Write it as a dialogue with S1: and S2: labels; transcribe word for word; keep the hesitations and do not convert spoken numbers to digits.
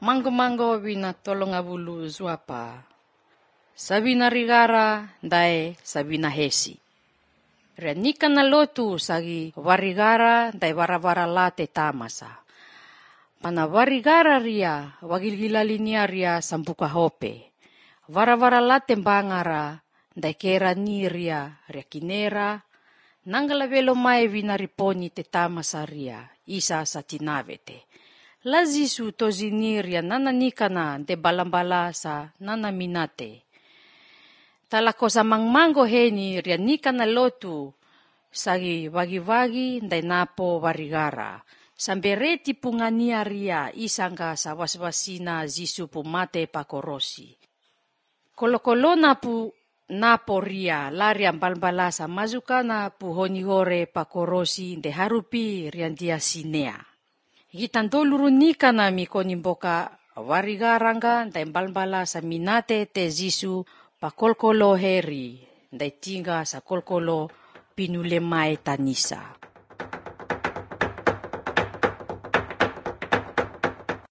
S1: Mango-mango wina tolonga bulu zuapa. Sabina rigara dai sabina hesi. Renika na lotu sagi warigara dai bara-bara late tamasa. Pana warigara ria wagilgilalinia ria sambuka hope. Vara-vara late bangara dai kera ni ria ria kinera. Nangala velo mai wina riponi te tamasa ria isa sa tinavete. Lazisu toziniria nana nikana de balambala sa nana minate. Talako sa mangmango heni ria nikana lotu sagi wagi-wagi ndai napo warigara. Sambereti pungania ria isangka sa waswasina zisu pumate pakorosi. Kolo-kolona pu napo ria laria balbalasa mazukana pu honihore pakorosi de harupi riandia sinea. Gitandoluru nikana mikonimboka warigaranga ndai balbala sa minate te zisu pakolkolo heri ndai tinga sa kolkolo pinulemai tanisa.